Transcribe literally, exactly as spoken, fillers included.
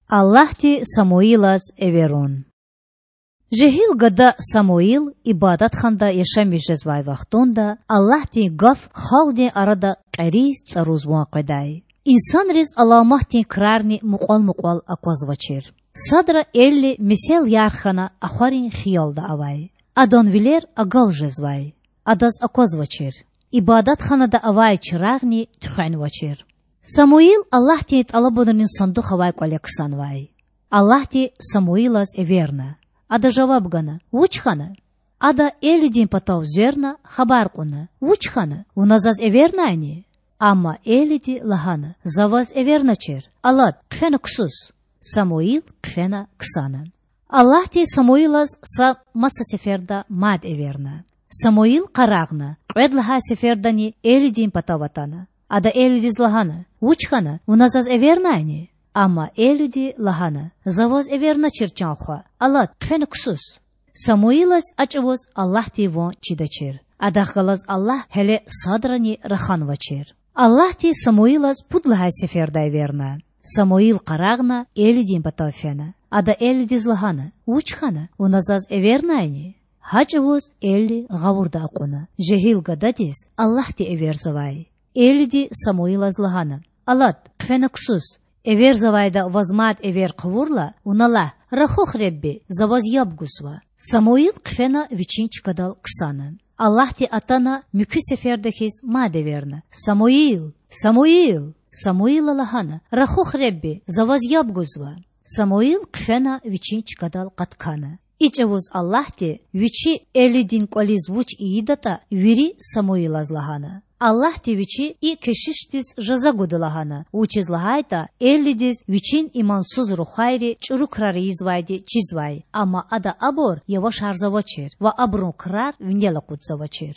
Аллагьди Самуилаз эверун. Жегьил гада Самуил ибадатханада яшамиш жезвай вахтунда Аллагьдин гаф халкьдин арада кьериз-цӏаруз ван къведай. Инсанриз аламатдин крарни мукьвал-мукьвал аквазвачир. Садра Эли месел ярх хьана ахварин хиялда авай. Адан вилер агал жезвай. Адаз аквазвачир. Ибадатханада авай чирагъни туьхвенвачир. Самуил Аллагьдин тӏалабунрин сандух авай кӏвале ксанвай. Аллагьди Самуилаз эверна. Ада жаваб гана: Вуч хьана? Ада Элидин патав зверна, хабар кьуна: Вуч хьана? Вуна заз эвернайни? Амма Элиди лагьана: За ваз эверначир. Алад, хъфена ксус. Самуил хъфена ксана. Аллагьди Самуилаз са маса сеферда мад эверна. Самуил къарагъна, кьвед лагьай сефердани Элидин патав атана. Ада Элидиз лагьана: Вуч хьана? Вуна заз эвернайни? Амма Элиди лагьана: За ваз эверначир, чан хва. Алад, хъфена ксус. Самуилаз а чӏавуз Аллагьдин ван чидачир. Адахъ галаз Аллагь гьеле садрани раханвачир. Аллагьди Самуилаз пуд лагьай сеферда эверна. Самуил къарагъна, Элидин патав фена. Ада Элидиз лагьана: Вуч хьана? Вуна заз эвернайни? Гьа чӏавуз Эли гъавурда акьуна: жегьил гададиз Аллагьди эверзавай. Элиди Самуилаз лагьана: Алад, хъфена ксус. Эверзавайда ваз мад эвер хъувурла, вуна лагь: Рахух, Худа, за ваз яб гузва. Самуил хъфена вичин чкадал ксана. Аллагьди атана муькуь сеферда хьиз мад эверна: Самуил! Самуил! Самуила лагьана: Рахух, Худа, за ваз яб гузва. Самуил хъфена вичин чкадал къаткана. И чӏавуз Аллагьди Вичи Элидин кӏвализ вуч ийидатӏа, вири Самуилаз лагьана. Аллагьди Вичи и кешишдиз жаза гуда лагьана, вучиз лагьайтӏа Элидиз вичин имансуз рухвайри чӏуру крар ийизвайди чизвай, амма ада абур явашарзавачир ва абурун крар винел акъудзавачир.